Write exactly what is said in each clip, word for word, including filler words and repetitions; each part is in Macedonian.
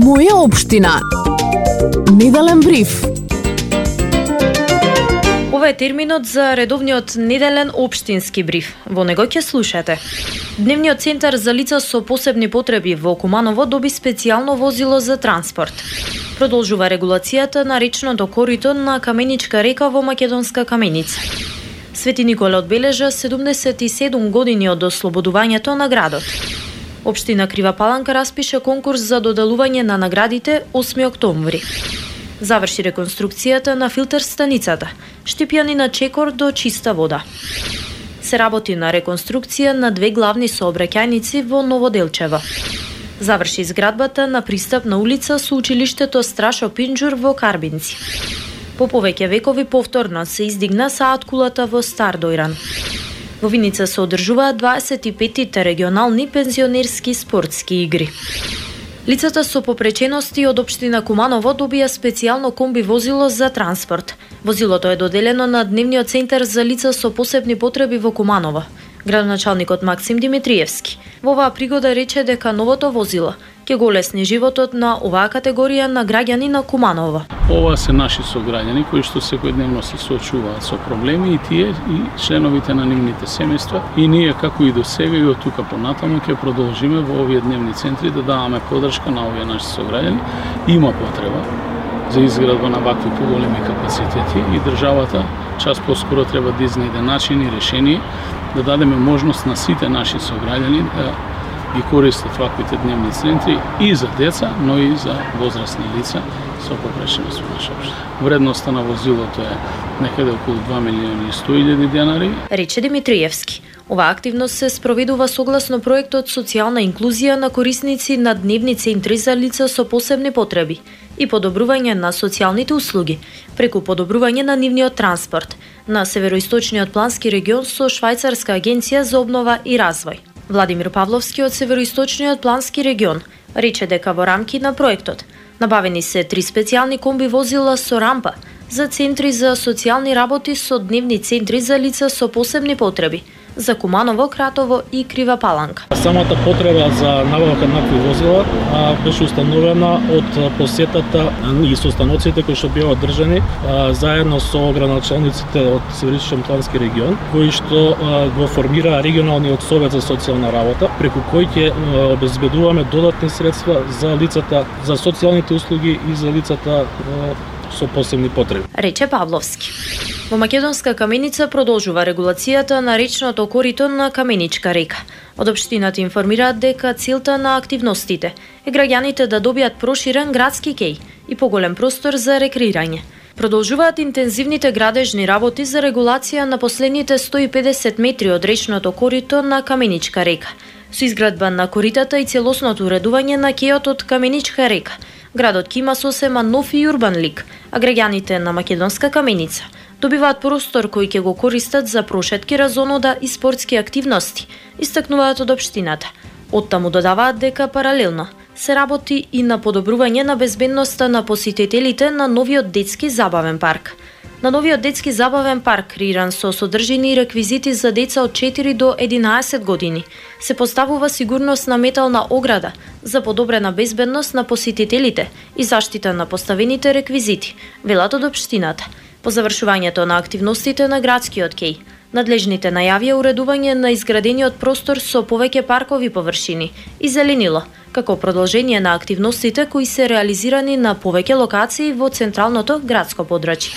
Моја општина. Неделен бриф. Ова е терминот за редовниот неделен општински бриф. Во него ќе слушате. Дневниот центар за лица со посебни потреби во Куманово доби специјално возило за транспорт. Продолжува регулацијата на речното корито на Каменичка река во Македонска Каменица. Свети Никола одбележа седумдесет и седум години од ослободувањето на градот. Општина Крива Паланка распише конкурс за доделување на наградите осми октомври. Заврши реконструкцијата на филтер станицата, штипјани на чекор до чиста вода. Се работи на реконструкција на две главни сообраќајници во Новоделчево. Заврши изградбата на пристапна улица со училиштето Страшо Пинџур во Карбинци. По повеќе векови повторно се издигна саат кулата во Стар Дојран. Во Виница се одржуваат дваесет и петтите регионални пензионерски спортски игри. Лицата со попречености од општина Куманово добија специјално комби возило за транспорт. Возилото е доделено на Дневниот центар за лица со посебни потреби во Куманово. Градоначалникот Максим Димитриевски во оваа пригода рече дека новото возило ќе го олесни животот на оваа категорија на граѓани на Куманово. Ова се наши сограѓани кои што секојдневно се соочуваат со проблеми и тие и членовите на нивните семејства, и ние како и до сега и од тука понатаму ќе продолжиме во овие дневни центри да даваме поддршка на овие наши сограѓани. Има потреба за изградба на вакви поголеми капацитети и државата час поскоро треба да изнајде начин и решение да дадеме можност на сите наши сограѓани да ги користат ваквите дневни центри и за деца, но и за возрастни лица со попреченост во наша општина. Вредноста на возилото е некаде околу два милиони и сто илјади денари. Рече Димитриевски. Оваа активност се спроведува согласно проектот Социјална инклузија на корисници на дневни центри за лица со посебни потреби и подобрување на социјалните услуги преку подобрување на нивниот транспорт на Североисточниот плански регион со Швајцарска агенција за обнова и развој. Владимир Павловски од Североисточниот плански регион рече дека во рамки на проектот набавени се три специјални комби возила со рампа за центри за социјални работи со дневни центри за лица со посебни потреби за Куманово, Кратово и Крива Паланка. Самата потреба за набавка на такви возила а, беше установена од посетата и состаноците кои што беа одржани а, заедно со градоначалниците од Североисточен плански регион, кои што а, го формира регионалниот совет за социјална работа, преку кој ќе обезбедуваме додатни средства за лицата за социјалните услуги и за лицата а, со посебни потреби. Рече Павловски. Во Македонска Каменица продолжува регулацијата на речното корито на Каменичка река. Од општината информираат дека целта на активностите е граѓаните да добијат проширен градски кеј и поголем простор за рекреирање. Продолжуваат интензивните градежни работи за регулација на последните сто и педесет метри од речното корито на Каменичка река. Со изградба на коритата и целосното уредување на кејот од Каменичка река, градот ќе има сосема нов и урбан лик, а граѓаните на Македонска Каменица добиваат простор кој ќе го користат за прошетки, разонода и спортски активности, истакнуваат од општината. Оттаму додаваат дека паралелно се работи и на подобрување на безбедноста на посетителите на новиот детски забавен парк. На новиот детски забавен парк, креиран со содржини и реквизити за деца од четири до единаесет години, се поставува сигурносна метална ограда за подобрена безбедност на посетителите и заштита на поставените реквизити, велат од општината. По завршувањето на активностите на градскиот кеј, надлежните најавија уредување на изградениот простор со повеќе паркови површини и зеленило, како продолжение на активностите кои се реализирани на повеќе локации во централното градско подрачје.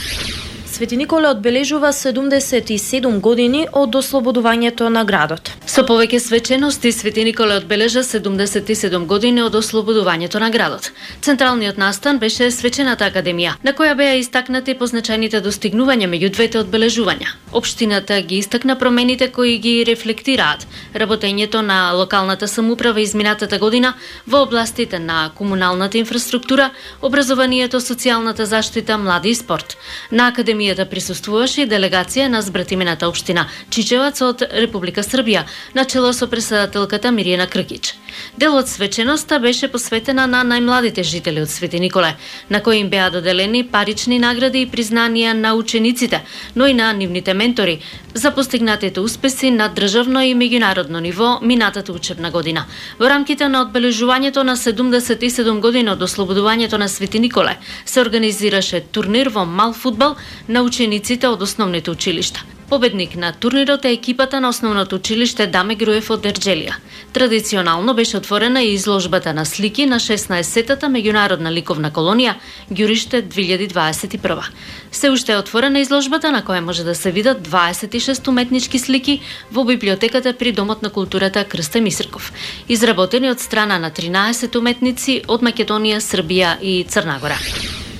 Свети Никола одбележува седумдесет и седум години од ослободувањето на градот. Со повеќе свечености, Свети Никола одбележа седумдесет и седум години од ослободувањето на градот. Централниот настан беше Свечената академија, на која беа истакнати позначајните достигнувања меѓу двете одбележувања. Општината ги истакна промените кои ги рефлектираат работењето на локалната самоуправа изминатата година во областите на комуналната инфраструктура, образованието, социјалната заштита, млади и спорт. На академија академијата присуствуваше и делегација на збратимената општина Чичевац од Република Србија, начело со претседателката Мирјана Кркич. Дел од свеченоста беше посветена на најмладите жители од Свети Николе, на кои им беа доделени парични награди и признанија на учениците, но и на нивните ментори за постигнатите успеси на државно и меѓународно ниво минатата учебна година. Во рамките на одбележувањето на седумдесет и седум години од ослободувањето на Свети Николе се организираше турнир во мал фудбал на учениците од основните училишта. Победник на турнирот е екипата на основното училиште Даме Груев од Ерџелија. Традиционално беше отворена и изложбата на слики на шеснаесеттата меѓународна ликовна колонија Ѓуриште две илјади дваесет и прва. Се уште е отворена изложбата на која може да се видат дваесет и шест уметнички слики во библиотеката при Домот на културата Крсте Мисрков, изработени од страна на тринаесет уметници од Македонија, Србија и Црна Гора.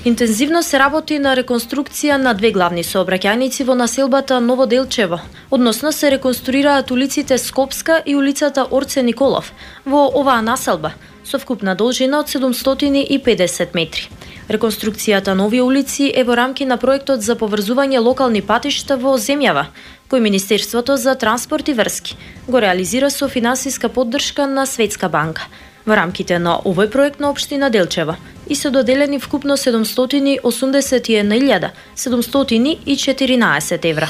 Интензивно се работи на реконструкција на две главни сообраќајници во населбата Ново Делчево. Односно се реконструираат улиците Скопска и улицата Орце Николов во оваа населба со вкупна должина од седумстотини и педесет метри. Реконструкцијата на овие улици е во рамки на проектот за поврзување локални патишта во земјава, кој Министерството за транспорт и врски го реализира со финансиска поддршка на Светска банка. Во рамките на овој проект на општина Делчева и се доделени вкупно седумстотини и осумдесет и една илјада седумстотини и четиринаесет евра.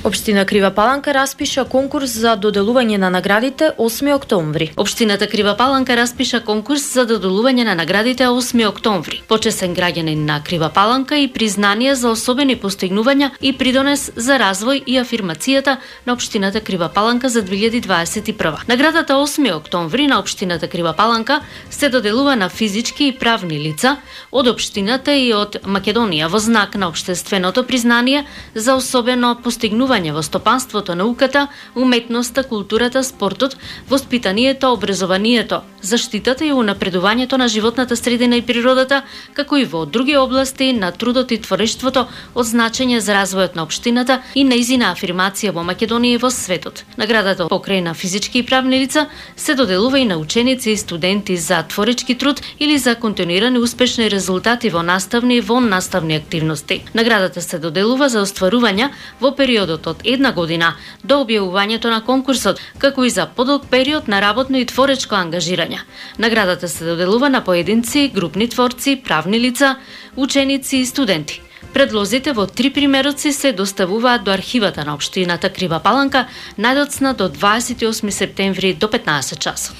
Општина Крива Паланка распиша конкурс за доделување на наградите осми октомври. Општината Крива Паланка распиша конкурс за доделување на наградите осми октомври. Почесен граѓанин на Крива Паланка и признание за особени постигнувања и придонес за развој и афирмацијата на општината Крива Паланка за две илјади дваесет и прва. Наградата осми октомври на општината Крива Паланка се доделува на физички и правни лица од општината и од Македонија во знак на општественото признание за особено постигнување во стопанството, науката, уметноста, културата, спортот, воспитанието, образованието, заштитата и унапредувањето на животната средина и природата, како и во други области на трудот и творештвото од значење за развојот на општината и нејзина афирмација во Македонија и во светот. Наградата покрај на физички и правни лица се доделува и на ученици и студенти за творечки труд или за континуирани успешни резултати во наставни и вон наставни активности. Наградата се доделува за остварувања во периодот од една година до објавувањето на конкурсот, како и за подолг период на работно и творечко ангажирање. Наградата се доделува на поединци, групни творци, правни лица, ученици и студенти. Предлозите во три примероци се доставуваат до архивата на општината Крива Паланка најдоцна до дваесет и осми септември до петнаесет часот.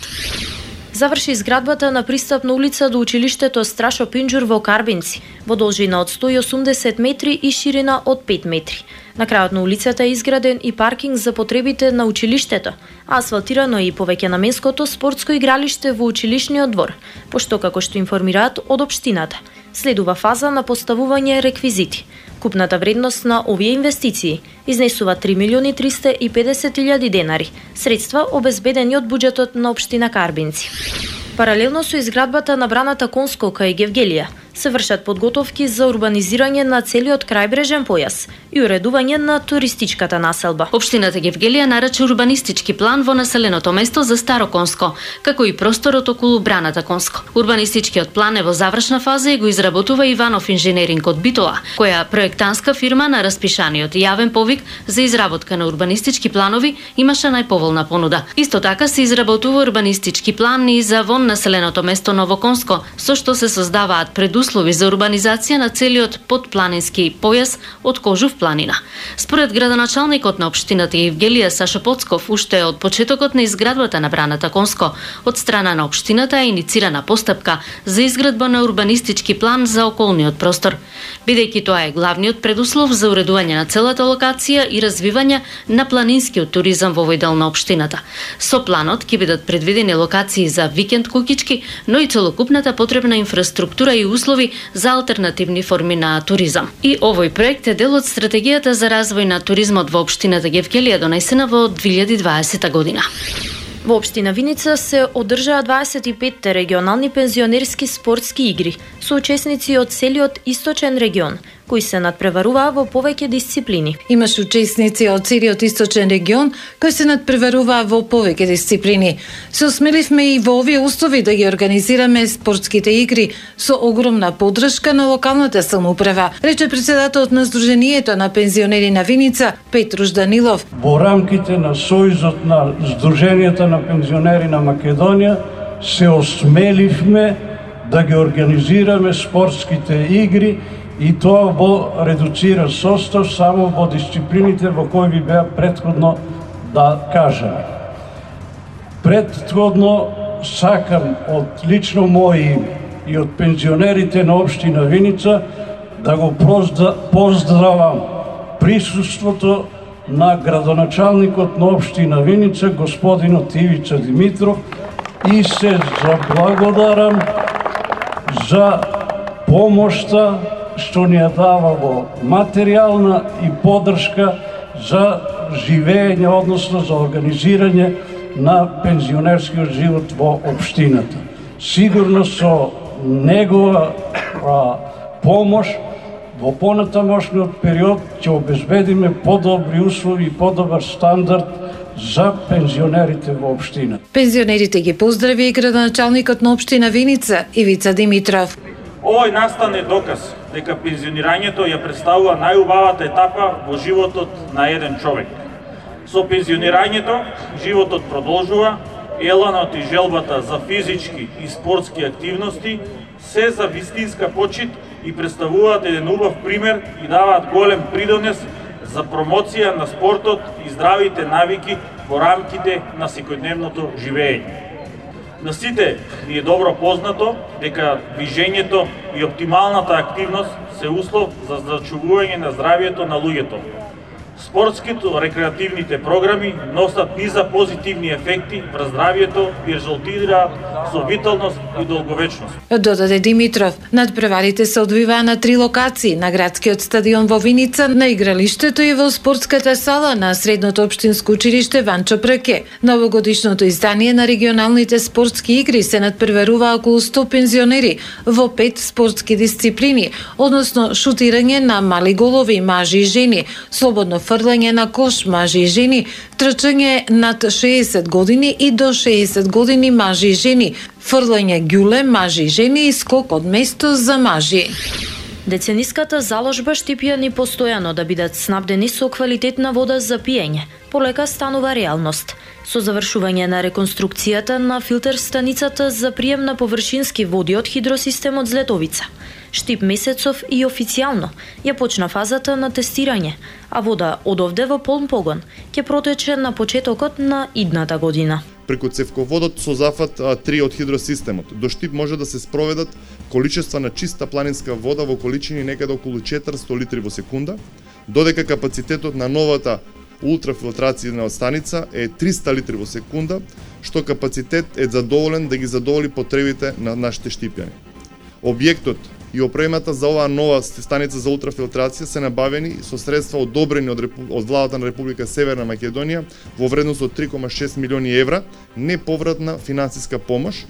Заврши изградбата на пристапна улица до училиштето Страшо Пинџур во Карбинци, во должина од сто и осумдесет метри и ширина од пет метри. На крајот на улицата е изграден и паркинг за потребите на училиштето, а асфалтирано е и повеќенаменското спортско игралиште во училишниот двор, пошто како што информираат од општината, следува фаза на поставување реквизити. Купната вредност на овие инвестиции изнесува три милиони триста и педесет илјади денари, средства обезбедени од буџетот на општина Карбинци. Паралелно со изградбата на браната Конско кај Гевгелија се вршат подготовки за урбанизирање на целиот крајбрежен појас и уредување на туристичката населба. Општината Гевгелија нарача урбанистички план во населеното место за Старо Конско, како и просторот околу браната Конско. Урбанистичкиот план е во завршна фаза и го изработува Иванов инженеринг од Битола, која проектантска фирма на распишаниот јавен повик за изработка на урбанистички планови имаше најповолна понуда. Исто така се изработува урбанистички план и за вон населеното место Ново Конско, со што се создаваат предуслови за урбанизација на целиот подпланински појас од Кожув планина. Според градоначалникот на општината Евгелија Сашо Поцков, уште од почетокот на изградбата на браната Конско, од страна на општината е иницирана постапка за изградба на урбанистички план за околниот простор, бидејќи тоа е главниот предуслов за уредување на целата локација и развивање на планинскиот туризам во овој дел на општината. Со планот ќе бидат предвидени локации за викенд кукички, но и целокупната потребна инфраструктура и услови за алтернативни форми на туризам. И овој проект е дел од стратегијата за развој на туризмот во општината Гевгелија донесена во две илјади дваесета година. Во општина Виница се одржаа дваесет и пет регионални пензионерски спортски игри со учесници од целиот источен регион, кои се надпреваруваа во повеќе дисциплини. Имаш учесници од целиот источен регион кои се надпреваруваа во повеќе дисциплини. Се осмеливме и во овие услови да ги организираме спортските игри со огромна поддршка на локалната самоуправа, рече председателот на Сдруженијето на пензионери на Виница Петруш Данилов. Во рамките на Сојузот на Сдруженијата на пензионери на Македонија се осмеливме да ги организираме спортските игри и тоа во редуциран состав само во дисциплините во кои ви беа претходно да кажаме. Претходно сакам од лично моје име и од пензионерите на општина Виница да го поздравам присуството на градоначалникот на општина Виница, господинот Ивица Димитров, и се заблагодарам за помошта што ни ја дава во материјална и поддршка за живење, односно за организирање на пензионерскиот живот во општината. Сигурно со негова а, помош во понатамошниот период ќе обезбедиме подобри услови и подобар стандард за пензионерите во општина. Пензионерите ги поздрави и градоначалникот на општина Виница Ивица Димитров. Овој настан е доказ дека пензионирањето ја представува најубавата етапа во животот на еден човек. Со пензионирањето животот продолжува, еланот и желбата за физички и спортски активности се за вистинска почит и представуваат еден убав пример и даваат голем придонес за промоција на спортот и здравите навики во рамките на секојдневното живење. На сите ни е добро познато дека движењето и оптималната активност се услов за зачувување на здравието на луѓето. Спортските рекреативните програми носат низа позитивни ефекти врз здравието и резултираат со виталност и долговечност. Додаде Димитров, надпреварите се одвиваа на три локации: на градскиот стадион во Виница, на игралиштето и во спортската сала на средното општинско училиште Ванчо Прке. Новогодишното издание на регионалните спортски игри се надпреварува околу сто пензионери во пет спортски дисциплини, односно шутирање на мали голови мажи и жени, слободно фрлање на кош мажи и жени, трчање над шеесет години и до шеесет години мажи и жени, фрлање ѓуле мажи и жени и скок од место за мажи. Децениската заложба Штипјани постојано да бидат снабдени со квалитетна вода за пиење полека станува реалност. Со завршување на реконструкцијата на филтер станицата за прием на површински води од хидросистемот Злетовица, Штип месецов и официјално ја почна фазата на тестирање, а вода од овде во полн погон ќе протече на почетокот на идната година. Преку цевководот со зафат три од хидросистемот до Штип може да се спроведат количества на чиста планинска вода во количини некаде околу четиристо литри во секунда, додека капацитетот на новата ултрафилтрација станица е триста литри во секунда, што капацитет е задоволен да ги задоволи потребите на нашите штипјани. Објектот и опремата за оваа нова станица за ултрафилтрација се набавени со средства одобрени од, Репу... од владата на Република Северна Македонија во вредност од три кома шест милиони евра неповратна финансиска помош,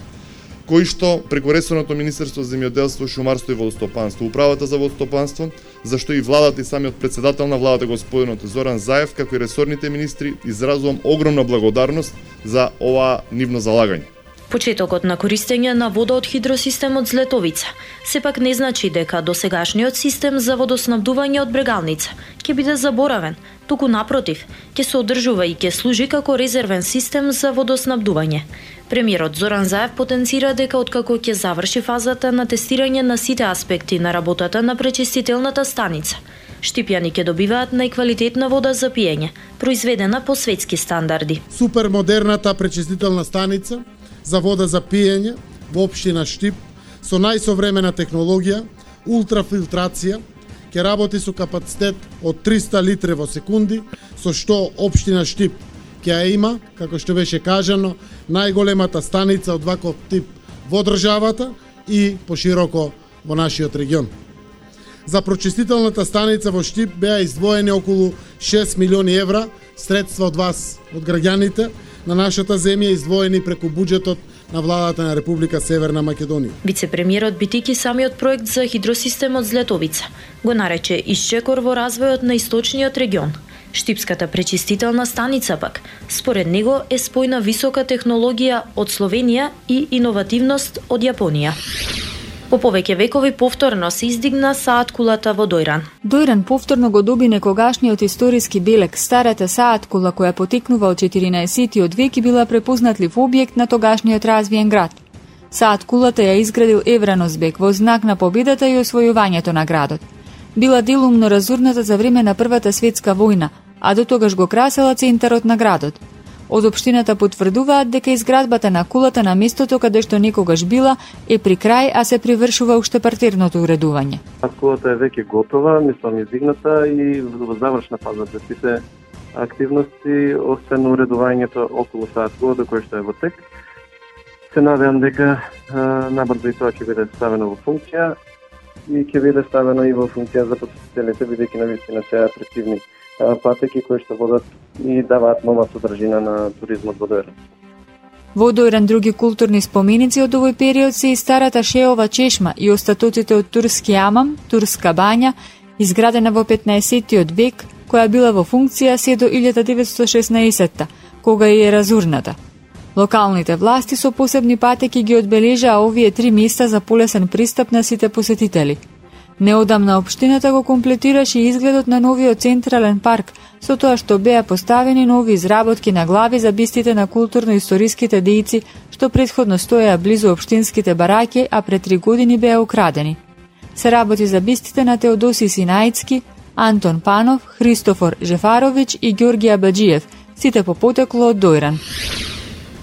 кои што преку ресорното Министерство за земјоделство, шумарство и водостопанство, управата за водостопанство, зашто и владата и самиот председател на владата господинот Зоран Заев, како и ресорните министри, изразувам огромна благодарност за ова нивно залагање. Почетокот на користење на вода од хидросистемот Злетовица сепак не значи дека досегашниот систем за водоснабдување од Брегалница ќе биде заборавен, туку напротив, ќе се одржува и ќе служи како резервен систем за водоснабдување. Премиерот Зоран Заев потенцира дека откако ќе заврши фазата на тестирање на сите аспекти на работата на пречистителната станица, штипјани ќе добиваат најквалитетна вода за пиење, произведена по светски стандарди. Супермодерната пречистителна станица за вода за пиење во општина Штип со најсовремена технологија, ултрафилтрација, ќе работи со капацитет од триста литри во секунди, со што општина Штип ќе ја има, како што беше кажано, најголемата станица од ваков тип во државата и пошироко во нашиот регион. За прочистителната станица во Штип беа издвоени околу шест милиони евра средства од вас, од граѓаните на нашата земја, издвоени преку буџетот на владата на Република Северна Македонија. Вице-премиерот битики самиот проект за хидросистемот Злетовица го нарече исчекор во развојот на источниот регион. Штипската пречистителна станица пак, според него, е спојна висока технологија од Словенија и иновативност од Јапонија. По повеќе векови повторно се издигна саат кулата во Дојран. Дојран повторно го доби некогашниот историски белег. Старата саат кула која потекнува од четиринаесеттиот век и била препознатлив објект на тогашниот развиен град. Саат кулата ја изградил Евраносбек во знак на победата и освојувањето на градот. Била делумно разурната за време на Првата светска војна, а до тогаш го красела центарот на градот. Од општината потврдуваат дека изградбата на кулата на местото каде што некогаш била е при крај, а се привршува уште партерното уредување. Кулата е веќе готова, мислам издигната и во завршна фаза за сите активности, освен уредувањето околу саат кулата кој што е во тек. Се надевам дека набрзо и тоа ќе биде ставено во функција и ќе биде ставено и во функција за посетителите, бидејќи навистина се атрактивни патеки кои што водат и даваат нова содржина на туризмот во Дојран. Во Дојран други културни споменици од овој период се и старата Шеова чешма и остатоците од турски амам, турска бања, изградена во петнаесеттиот век, која била во функција се до илјада деветстотини и шеснаесетта, кога и е разурната. Локалните власти со посебни патеки ги одбележаа овие три места за полесен пристап на сите посетители. Неодамна општината го комплетираше изгледот на новиот централен парк, со тоа што беа поставени нови изработки на глави за бистите на културно-историските дејци, што претходно стоеа близу општинските бараки, а пред три години беа украдени. Се работи за бистите на Теодоси Синаицки, Антон Панов, Христофор Жефаровиќ и Ѓорѓи Абаџиев, сите по потекло од Дојран.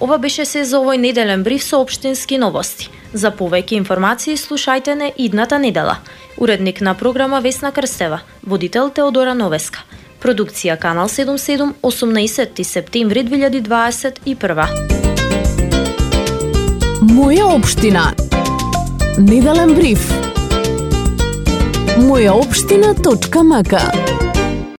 Ова беше се за овој неделен бриф со општински новости. За повеќе информации слушајте не идната недела. Уредник на програма Весна Крстева, водител Теодора Новеска. Продукција Канал седумдесет и седум, осумнаесетти септември две илјади дваесет и прва. Моја општина. Неделен бриф. моја општина точка м к